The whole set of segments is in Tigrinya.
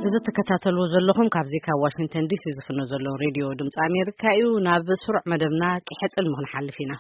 እዚ ትከታተልዎ ዘለኹም ካብዚ ካብ ዋሽንግተን ዲሲ ዝፍኖ ዘሎ ሬድዮ ድምፂ ኣሜሪካ እዩ። ናብ ስሩዕ መደብና ቂሐ ጽልሚ ክንሓልፍ ኢና።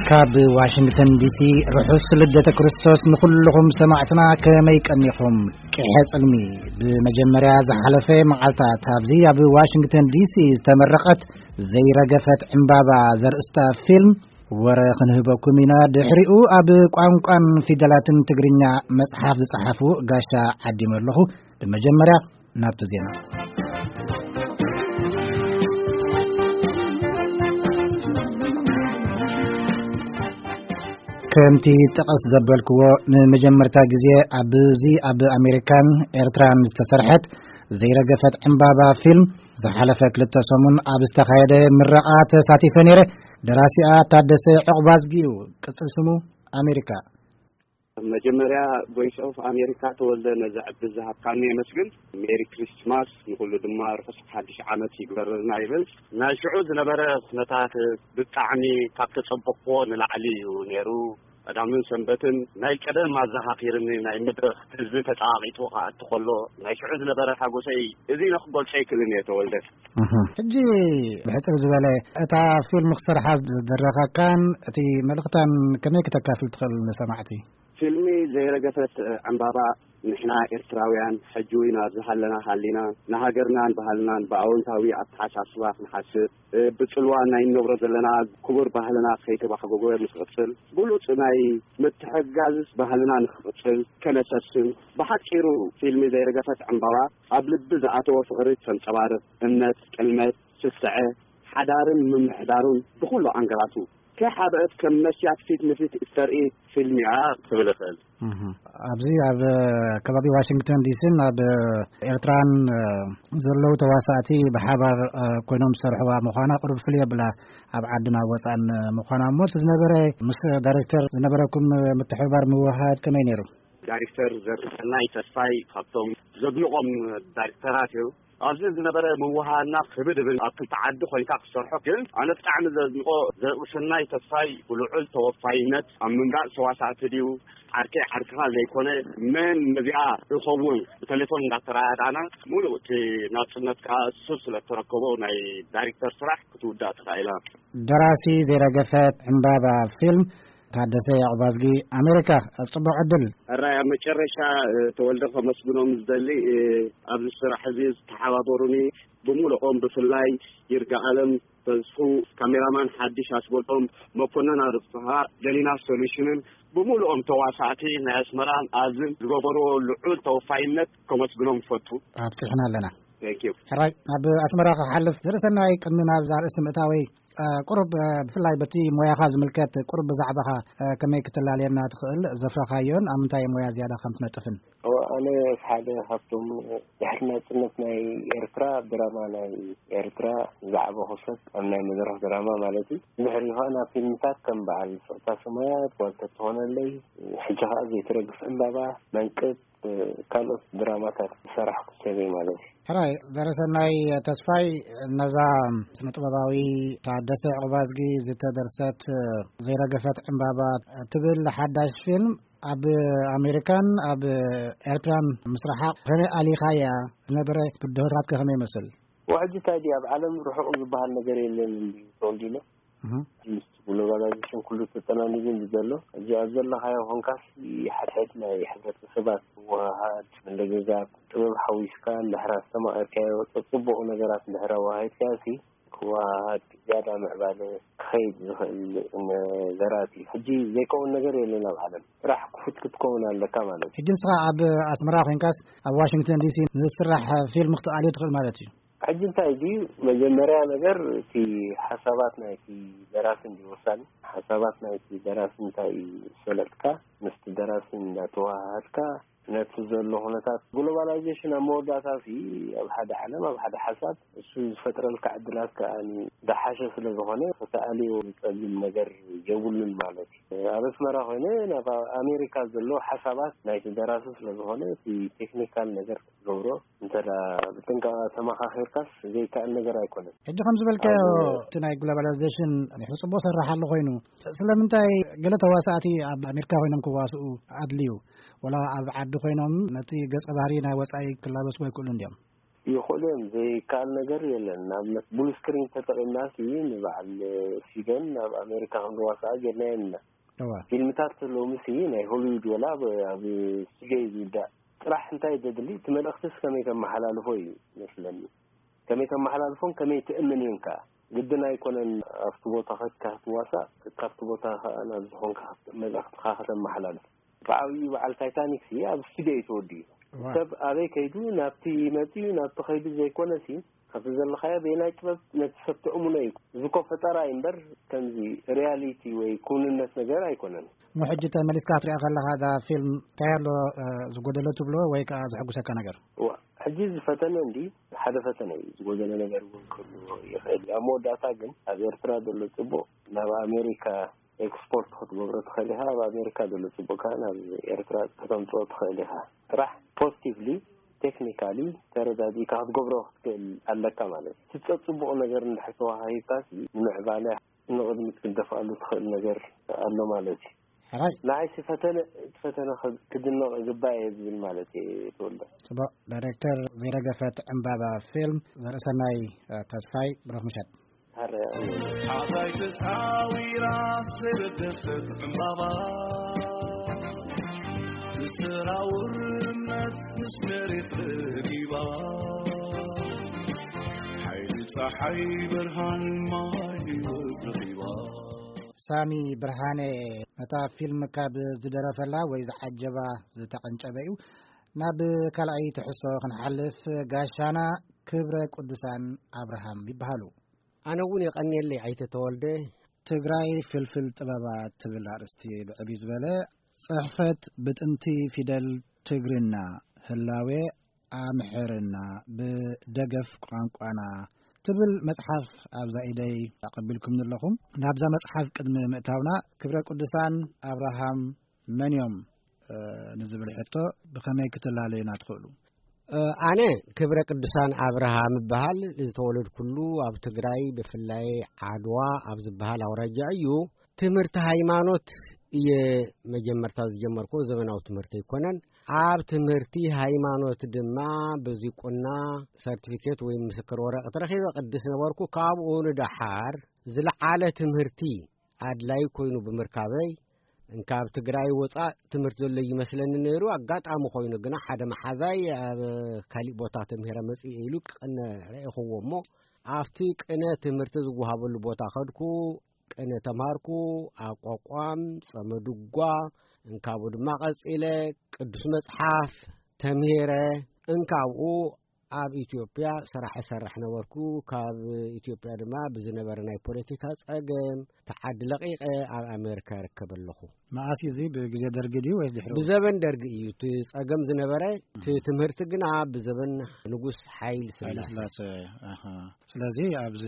ካብ ዋሽንግተን ዲሲ ርሑስ ልደተ ክርስቶስ ንኹልኹም ሰማዕትና፣ ከመይ ቀኒኹም? ቂሐ ጽልሚ ብመጀመርያ ዝሓለፈ መዓልታት ኣብዚ ኣብ ዋሽንግተን ዲሲ ዝተመረቐት ዘይረገፈት ዕምባባ ዘርእስታ ፊልም ወረ ክንህበኩም ኢና። ድሕሪኡ ኣብ ቋንቋን ፊደላትን ትግርኛ መጽሓፍ ዝጸሓፉ ጋሻ ዓዲመ ኣለኹ። ብመጀመርያ ናብቲ ዜና። ከምቲ ጠቐስ ዘበልክዎ፣ ንመጀመርታ ግዜ ኣብዚ ኣብ ኣሜሪካን ኤርትራን ዝተሰርሐት ዘይረገፈት ዕምባባ ፊልም ዝሓለፈ ክልተ ሰሙን ኣብ ዝተኻየደ ምረቓ ተሳቲፈ ነይረ። ደራሲኣ ታደሰ ዕቑባዝጊ እዩ፣ ቅጽል ስሙ ኣሜሪካ። መጀመርያ ቮይስ ኦፍ ኣሜሪካ፣ ተወልደ፣ ነዚ ዕድል ዝሃብካኒ የመስግን። ሜሪ ክሪስትማስ፣ ንኹሉ ድማ ርሑስ ሓድሽ ዓመት ይግበረልና ይብል። ናይ ሽዑ ዝነበረ ኩነታት ብጣዕሚ ካብ ተጸበቕዎ ንላዕሊ እዩ ነይሩ። ቀዳምን ሰንበትን ናይ ቀደም ኣዘኻኺርኒ፣ ናይ መድረኽ ህዝቢ ተጣቂጡ ክኣቱ ከሎ ናይ ሽዑ ዝነበረ ሓጎሰይ እዚ ኢለ ክገልጾ ኣይክእልን እየ፣ ተወልደ። እህ። ሕጂ ብሕጽር ዝበለ እታ ፊልም ክሰርሓ ዝደረኸካን እቲ መልእኽታን ከመይ ክተካፍል ትኽእል ንሰማዕቲ? ፊልሚ ዘይረገፈት ዕምባባ፣ ንሕና ኤርትራውያን ሕጂ እውን ኣብዚ ሃለና ሃሊና ንሃገርናን ባህልናን ብኣወንታዊ ኣተሓሳስባ ክንሓስብ፣ ብጽልዋ ናይ እንነብሮ ዘለና ክቡር ባህልና ከይተባሕጎጎ ንክቕጽል፣ ብሉጽ ናይ ምትሕግጋዝ ባህልና ንክቕጽል ከነሰስን፣ ብሓጺሩ ፊልሚ ዘይረገፈት ዕምባባ ኣብ ልቢ ዝኣተወ ፍቕሪ ተንጸባርቕ፣ እምነት፣ ጥልመት፣ ስስዐ፣ ሓዳርን ምምሕዳሩን ብኹሉ ኣንገላቱ ከይሓብአት ከም መስትያት ፊት ንፊት እተርኢ ፊልም እያ ክብል እኽእል። እህ። ኣብዚ ኣብ ከባቢ ዋሽንግተን ዲሲን ኣብ ኤርትራን ዘለዉ ተዋሳእቲ ብሓባር ኮይኖም ዝሰርሕዋ ምዃና ቁሩብ ፍልይ ኣብላ፣ ኣብ ዓድን ኣብ ወፃእን ምዃና። እሞ እቲ ዝነበረ ምስ ዳይሬክተር ዝነበረኩም ምትሕብባር ምውህሃድ ከመይ ነይሩ? ዳይሬክተር ዘርሰናይ ተስፋይ ካብቶም ዘድንቖም ዳይሬክተራት እዩ። ኣብዚ ዝነበረ ምውሃና ክብድ እብል፣ ኣብ ክልተ ዓዲ ኮይንካ ክሰርሖ ግን ኣነ ብጣዕሚ ዘድንቆ ዘርእሰናይ ተስፋይ ብልዑል ተወፋይነት ኣብ ምምራጽ ተዋሳእቲ ድዩ ዓርከይ ዓርክኻ ዘይኮነ መን ነዚኣ እኸውን ብቴሌፎን እንዳተረዳዳና ሙሉእ እቲ ናጽነት ከኣ እሱ ስለ እተረከቦ ናይ ዳይሬክተር ስራሕ ክትውዳእ ተኻኢላ። ደራሲ ዘይረገፈት ዕምባባ ፊልም ታደሰ ያዕባዝጊ ኣሜሪካ። ጽቡቕ ዕድል። ሕራይ ኣብ መጨረሻ ተወልደ ከመስግኖም ዝደሊ ኣብዚ ስራሕ እዚ ዝተሓባበሩኒ ብምልኦም ብፍላይ ይርጋ ኣለም ተስፉ፣ ካሜራማን ሓድሽ ኣስበሎም፣ መኮነን ኣርፍሃ፣ ደሊና ሶሉሽንን ብምልኦም ተዋሳእቲ ናይ ኣስመራን ኣብዝን ዝገበርዎ ልዑል ተወፋይነት ከመስግኖም ይፈቱ። ኣብፅሕና ኣለና። ሕራይ ናብ ኣስመራ ክሓልፍ ዝርእሰናይ ቅድሚ ናብ ዛርእስቲ ምእታወይ ቁሩብ ብፍላይ በቲ ሞያኻ ዝምልከት ቁሩብ ብዛዕባኻ ከመይ ክትላለየና ትኽእል? ዘፍረኻዮን ኣብ ምንታይ ሞያ ዝያዳ ከም ትነጥፍን? ኣነ ሓደ ካብቶም ድሕሪ ናጽነት ናይ ኤርትራ ድራማ ናይ ኤርትራ ዝዓበኹ ሰብ ኣብ ናይ መድረኽ ድራማ ማለት እዩ። ድሕሪ ኸኣ ናብ ፊልምታት ከም በዓል ፍቕታ ሰማያት፣ ዋልታ ትኾነለይ፣ ሕጂ ኸኣ ዘይትረግፍ ዕምባባ፣ መንቅብ፣ ካልኦት ድራማታት ዝሰራሕኩ ሰብ እየ ማለት እዩ። ሕራይ ዘረሰናይ ተስፋይ፣ ነዛ ስነ ጥበባዊ ታደሰ ዕቑባዝጊ ዝተደርሰት ዘይረገፈት ዕምባባ ትብል ሓዳሽ ፊልም ኣብ ኣሜሪካን ኣብ ኤርትራን ምስራሓ ከመይ ኣሊኻያ? ዝነበረ ብድሆታት ከ ከመይ ይመስል? ሕጂ እንታይ ድዩ ኣብ ዓለም ርሑቕ ዝበሃል ነገር የለን እንዲ ተወልዲሎ። እህ። ምስ ግሎባላይዜሽን ኩሉ ተጠናኒጉ እንዲ ዘሎ፣ ሕጂ ኣብ ዘለኻዮ ኮንካስ ሓድሕድ ናይ ሕብረተሰባት ምውህሃድ፣ ምልግጋብ፣ ጥበብ ሓዊስካ እንድሕር ኣስተማቒርካዮ፣ ጽቡቕ ነገራት እንድሕር ኣወሃሂድካዮ ሲ ክወሃሃድ ዝያዳ ምዕባለ ክኸይድ ዝኽእል ነገራት እዩ። ሕጂ ዘይከውን ነገር የለን ኣብ ዓለም። ጥራሕ ክፉት ክትከውን ኣለካ ማለት እዩ። ሕጂ ንስኻ ኣብ ኣስመራ ኮይንካስ ኣብ ዋሽንግተን ዲሲ ንዝስራሕ ፊልም ክትኣልዮ ትኽእል ማለት እዩ። ሕጂ እንታይ ድዩ መጀመርያ ነገር እቲ ሓሳባት ናይቲ ደራሲ እንዲ ወሳኒ። ሓሳባት ናይቲ ደራሲ እንታይ እዩ ዝሰለጥካ ምስቲ ደራሲ እንዳተወሃሃድካ ነቲ ዘሎ ኩነታት ግሎባላይዜሽን ኣብ መወዳእታ ሲ ኣብ ሓደ ዓለም፣ ኣብ ሓደ ሓሳብ እሱ ዝፈጥረልካ ዕድላት ከኣ ዝሓሸ ስለ ዝኾነ፣ ከተኣልዮ ዝጸግም ነገር የብሉን ማለት እዩ። ኣብ ኣስመራ ኮይነ ናብ ኣሜሪካ ዘሎ ሓሳባት ናይቲ ደራሲ ስለ ዝኾነ፣ እቲ ቴክኒካል ነገር ክትገብሮ እንተ ደኣ ብጥንቃቐ ተመኻኺርካስ ዘይከኣል ነገር ኣይኮነን። ሕጂ ከም ዝበልካዮ፣ ኣብ እቲ ናይ ግሎባላይዜሽን ጽቡቕ ሰራሕ ኣሎ ኮይኑ፣ ስለምንታይ ገለ ተዋሳእቲ ኣብ ኣሜሪካ ኮይኖም ክዋስኡ ኣድልዩ? ወላ ኣብ ዓዲ ኮይኖም ነቲ ገጸ ባህሪ ናይ ወጻኢ ክላበስዎ ይክእሉ እንድዮም? ይኽእሉ እዮም፣ ዘይከኣል ነገር የለን። ንኣብነት ብሉ ስክሪን ተጠቒምና ሲ ንበዓል ሲገን ኣብ ኣሜሪካ ክንዋሳኣ ጌርናዮ ኢና። እዋ። ፊልምታት ሎሚ ሲ ናይ ሆሊውድ ወላ ኣብ፣ ኣብ ስቱዲዮ እዩ ዝውዳእ። ጥራሕ እንታይ ዘድሊ፣ እቲ መልእኽትስ ከመይ ተመሓላልፎ እዩ መስለኒ። ከመይ ተመሓላልፎን ከመይ ትእምን እዮን ከኣ። ግድን ኣይኮነን ኣብቲ ቦታ ከድካ ክትዋሳእ፣ ካብቲ ቦታ ከኣ ናብ ዝኾንካ መልእኽትኻ ከተመሓላልፍ። ብዓብዩ በዓል ታይታኒክ ሲ ኣብ ስቱዲዮ እዩ ተወዲኡ። እዋ። ሰብ ኣበይ ከይዱ ናብቲ መጺኡ ናብቲ ከይዱ ዘይኮነ ሲ፣ ካብቲ ዘለኻዮ በየናይ ጥበብ ነቲ ሰብ ተእምኖ እዩ። እዚ እኮ ፈጠራ እዩ እምበር፣ ከምዚ ሪያሊቲ ወይ ክውንነት ነገር ኣይኮነን። እሞ ሕጂ ተመሊስካ ክትሪኣ ከለኻ እዛ ፊልም እንታይ ኣሎ፣ እ፣ ዝጎደሎ ትብሎ ወይ ከኣ ዘሐጉሰካ ነገር? እዋ፣ ሕጂ እዚ ፈተነ እንዲ ሓደ ፈተነ እዩ። ዝጎደለ ነገር እውን ክህሉ ይኽእል እዩ። ኣብ መወዳእታ ግን ኣብ ኤርትራ ዘሎ ጽቡቕ ናብ ኣሜሪካ ኤክስፖርት ክትገብሮ ትኽእል ኢኻ። ኣብ ኣሜሪካ ዘሎ ጽቡቕ ከኣ ናብ ኤርትራ ከተምጽኦ ትኽእል ኢኻ። ጥራሕ ፖዚቲቭሊ፣ ቴክኒካሊ ተረዳዲእካ ክትገብሮ ክትክእል ኣለካ ማለት እዩ። እቲ ጸጽቡቕ ነገር እንድሕር ተዋሂብካ ሲ፣ ንምዕባለ ንቕድሚት ክትደፍኣሉ ትኽእል ነገር ኣሎ ማለት እዩ። ሕራይ። ንዓይሲ ፈተነ፣ እቲ ፈተነ ኸ-፣ ክድነቕ ይግባእ እየ ዝብል ማለት እየ፣ ተወልደ። ጽቡቕ። ዳይሬክተር ዘይረገፈት ዕምባባ ፊልም ዘርእሰናይ፣ እ፣ ተስፋይ፣ ብሩኽ ምሸት። ሓራይ። ሓራይ ተጻዊራ ዝተረገፈት ዕምባባ፣ ብሰራውር እምነት ምስ መሬት ረጊባ፣ ሓይሊ ጸሓይ ብርሃን ማይ ህይወት ረኺባ። ሳሚ ብርሃነ ነታ ፊልም ካብ ዝደረፈላ ወይ ዝዓጀባ ዝተቐንጨበ እዩ። ናብ ካልኣይ ትሕዝቶ ክንሓልፍ፣ ጋሻና ክብረ ቅዱሳን ኣብርሃም ይበሃሉ። ኣነ እውን የቐንየለይ ኣይተ ተወልደ። ትግራይ ፍልፍል ጥበባት ትብል ኣርእስቲ ብዕብይ ዝበለ ጽሕፈት ብጥንቲ ፊደል ትግርና ህላዌ ኣምሕርና ብደገፍ ቋንቋና ትብል መጽሓፍ ኣብዛ ኢደይ ኣቐቢልኩም ኣለኹም። ናብዛ መጽሓፍ ቅድሚ ምእታውና ክብረ ቅዱሳን ኣብርሃም መን እዮም፣ እ፣ ንዝብል ሕቶ ብኸመይ ክትላለዩና ትኽእሉ? እ፣ ኣነ ክብረ ቅዱሳን ኣብርሃም እበሃል። ዝተወለድኩሉ ኣብ ትግራይ፣ ብፍላይ ዓድዋ ኣብ ዝበሃል ኣውራጃ እዩ። ትምህርቲ ሃይማኖት እየ መጀመርታ ዝጀመርኩ፣ ዘመናዊ ትምህርቲ ኣይኮነን። ኣብ ትምህርቲ ሃይማኖት ድማ ብዚ ቁና ሰርቲፊኬት ወይ ምስክር ወረቐት ረኺበ ቅድስ ነበርኩ። ካብኡ ንደሓር ዝለዓለ ትምህርቲ ኣድላይ ኮይኑ ብምርካበይ፣ እንካብ ትግራይ ወፃእ ትምህርቲ ዘሎ ይመስለኒ ነይሩ። ኣጋጣሚ ኮይኑ ግና ሓደ መሓዛይ ኣብ ካሊእ ቦታ ተምሂረ መፅእ ኢሉ ክቐነ ረኢኽዎ እሞ፣ ኣብቲ ቅነ ትምህርቲ ዝወሃበሉ ቦታ ከድኩ። ቅነ ተምሃርኩ። ኣቋቋም፣ ጸመ ድጓ፣ እንካቡ ድማ ቀጺለ ቅዱስ መጽሓፍ ተምሂረ። እንካብኡ ኣብ ኢትዮጵያ ስራሕ እሰርሕ ነበርኩ። ካብ ኢትዮጵያ ድማ ብዝነበረ ናይ ፖለቲካ ጸገም፣ እቲ ዓዲ ለቒቐ ኣብ ኣሜሪካ ይርከብ ኣለኹ። መኣስ እዩ እዚ? ብግዜ ደርጊ ድዩ ወይስ ድሕሪኡ? ብዘበን ደርጊ እዩ እቲ ጸገም ዝነበረ። እቲ ትምህርቲ ግና ብዘበን ንጉስ ሓይሊ ስላሴ። ስላሴ፣ ኣሃ። ስለዚ ኣብዚ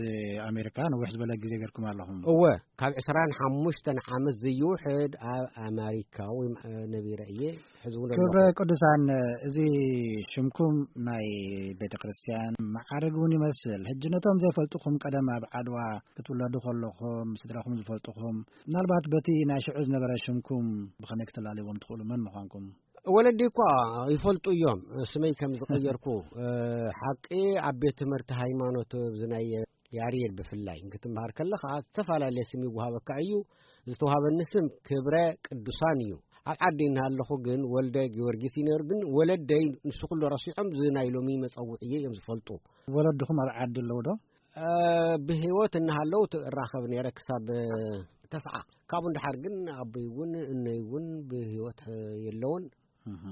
ኣሜሪካ ነዊሕ ዝበለ ግዜ ገርኩም ኣለኹም። እወ፣ ካብ ዕስራን ሓሙሽተን ዓመት ዘይውሕድ ኣብ ኣሜሪካ ወይ፣ እ፣ ነቢረ እየ። ሕዚ እውን ክብረ ኣለኹ። ቅዱሳን፣ እዚ ሽምኩም ናይ ቤተ ክርስቲያን መዓርግ እውን ይመስል። ሕጂ ነቶም ዘይፈልጡኹም፣ ቀደም ኣብ ዓድዋ ክትውለዱ ከለኹም ስድራኹም ዝፈልጡኹም፣ ምናልባት በቲ ናይ ሽዑ ዝነበረ ሽምኩም ብኸመይ ክትላለይዎም ትኽእሉ? መን ምዃንኩም? ወለዲ እኳ ይፈልጡ እዮም፣ ስመይ ከም ዝቐየርኩ። እ፣ ሓቂ ኣብ ቤት ትምህርቲ ሃይማኖት፣ እዚ ናይ ያሬድ ብፍላይ ክትምሃር ከለኻ ዝተፈላለየ ስም ይወሃበካ እዩ። ዝተዋሃበኒ ስም ክብረ ቅዱሳን እዩ። ኣብ ዓዲ እናሃለኹ ግን ወልደ ጊዮርጊስ እዩ ነይሩ። ግን ወለደይ ንሱ ኩሉ ረሲዖም፣ እዚ ናይ ሎሚ መጸውዕየ እዮም ዝፈልጡ። ወለድኹም ኣብ ዓዲ ኣለዉ ዶ? እ፣ ብህይወት እናሃለዉ ት-፣ እራኸብ ነይረ ክሳብ ተስዓ። ካብኡ ንደሓር ግን ኣቦይ እውን እነይ እውን ብህይወት፣ እ፣ የለውን። እህ።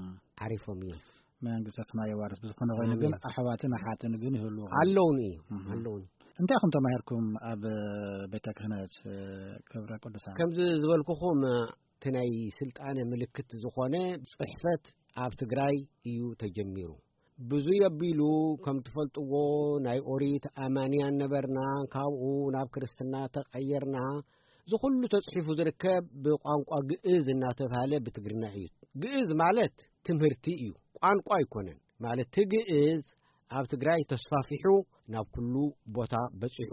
ዓሪፎም እዮም። መንግስተ ሰማይ የዋርስ። ብዝኾነ ኮይኑ ግን እህ። ኣሕዋትን ኣሓትን ግን ይህልዉ። ኣለውኒ እዩ፣ እህ። ኣለውኒ። እንታይ ኢኹም ተማሂርኩም ኣብ ቤተ ክህነት፣ እ፣ ክብረ ቅዱሳን? ከምዚ ዝበልኩኹም፣ እቲ ናይ ስልጣነ ምልክት ዝኾነ ጽሕፈት ኣብ ትግራይ እዩ ተጀሚሩ። ብዙይ ኣቢሉ ከም ትፈልጥዎ ናይ ኦሪት ኣማንያን ነበርና፣ ካብኡ ናብ ክርስትና ተቐየርና። እዚ ኩሉ ተጽሒፉ ዝርከብ ብቋንቋ ግእዝ እናተባህለ ብትግርኛ እዩ። ግእዝ ማለት ትምህርቲ እዩ፣ ቋንቋ ኣይኮነን። ማለት እቲ ግእዝ ኣብ ትግራይ ተስፋፊሑ ናብ ኩሉ ቦታ በጺሑ።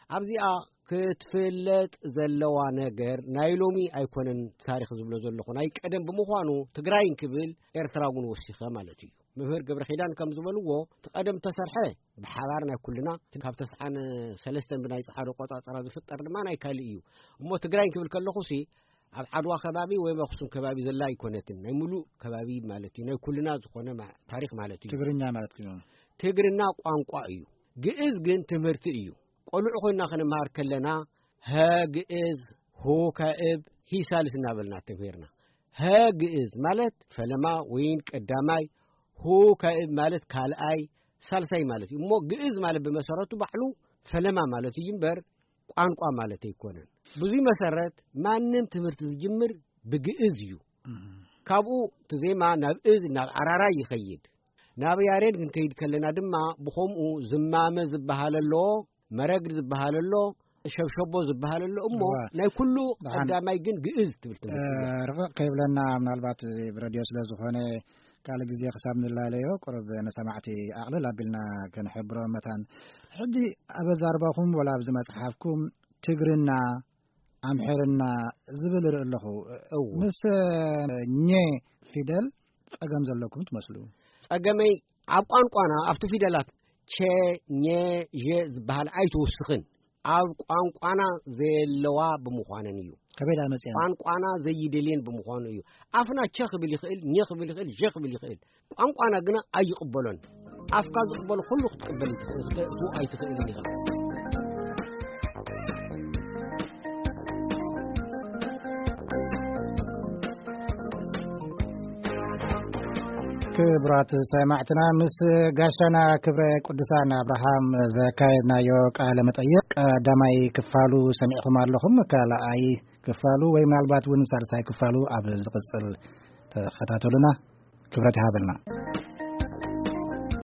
ኣብዚኣ ክትፍለጥ ዘለዋ ነገር ናይ ሎሚ ኣይኮነን። ታሪኽ ዝብሎ ዘለኹ ናይ ቀደም ብምዃኑ ትግራይ እንክብል ኤርትራ እውን ወሲኸ ማለት እዩ። መምህር ገብረ ኪዳን ከም ዝበልዎ እቲ ቀደም ተሰርሐ ብሓባር ናይ ኩልና ካብ ተስዓን ሰለስተን ብናይ ጸሓዶ ቆጻጸራ ዝፍጠር ድማ ናይ ካልእ እዩ። እሞ ትግራይ እንክብል ከለኹሲ ኣብ ዓድዋ ከባቢ ወይ ኣብ ኣኽሱም ከባቢ ዘላ ኣይኮነትን። ናይ ምሉእ ከባቢ ማለት እዩ። ናይ ኩልና ዝኾነ ማ-፣ ታሪኽ ማለት እዩ። ትግርኛ ማለት እዩ። ትግርና ቋንቋ እዩ። ግእዝ ግን ትምህርቲ እዩ። ቆልዑ ኮይና ክንመሃር ከለና ሀ ግእዝ፣ ሆ ካእብ፣ ሂ ሳልስ እናበልና ተምሂርና። ሀ ግእዝ ማለት ፈለማ ወይን ቀዳማይ፣ ሆ ካእብ ማለት ካልኣይ፣ ሳልሳይ ማለት እዩ። እሞ ግእዝ ማለት ብመሰረቱ ባዕሉ ፈለማ ማለት እዩ እምበር ቋንቋ ማለት ኣይኮነን። ብዙይ መሰረት ማንም ትምህርቲ ዝጅምር ብግእዝ እዩ። እም። ካብኡ እቲ ዜማ ናብ እዝ፣ ናብ ኣራራይ ይኸይድ። ናብ ያሬድ ክንከይድ ከለና ድማ ብኸምኡ ዝማመ ዝበሃል ኣሎ፣ መረግድ ዝበሃል ኣሎ፣ ሸብሸቦ ዝበሃል ኣሎ። እሞ እዋ። ናይ ኩሉ ደሓን። ቀዳማይ ግን ግእዝ ትብል ትምህርቲ እያ። እ፣ ርቕቕ ከይብለና ምናልባት እዚ ብረድዮ ስለ ዝኾነ ካልእ ግዜ ክሳብ ንላለዮ ቁሩብ ንሰማዕቲ ኣቕልል ኣቢልና ክንሕብሮ መታን። ሕጂ ኣብ ኣዛርባኹም ወላ ኣብዚ መጽሓፍኩም ትግርና፣ ኣምሕርና ዝብል እርኢ ኣለኹ። እው። ምስ ኘ ፊደል ጸገም ዘለኩም ትመስሉ። ጸገመይ ኣብ ቋንቋና ኣብቲ ፊደላት ቸ፣ ኘ፣ ዠ ዝበሃል ኣይትውስኽን። ኣብ ቋንቋና ዘየለዋ ብምዃነን እዩ። ከመይ ደኣ መጺኣን? ቋንቋና ዘይደልየን ብምዃኑ እዩ። ኣፍና ቸ ክብል ይኽእል፣ ኘ ክብል ይኽእል፣ ዠ ክብል ይኽእል። ቋንቋና ግና ኣይቕበሎን። ኣፍካ ዝቕበሎ ኩሉ ክትቅበል ይትኽእል፣ ክትእትዎ ኣይትኽእልን ኢኻ። ክቡራት ሰማዕትና፣ ምስ ጋሻና ክብረ ቅዱሳን ኣብርሃም ዘካየድናዮ ቃለ መጠይቕ ቀዳማይ ክፋሉ ሰሚዕኹም ኣለኹም። ካልኣይ ክፋሉ ወይ ምናልባት እውን ሳልሳይ ክፋሉ ኣብ ዝቕጽል ተኸታተሉና። ክብረት ይሃበልና።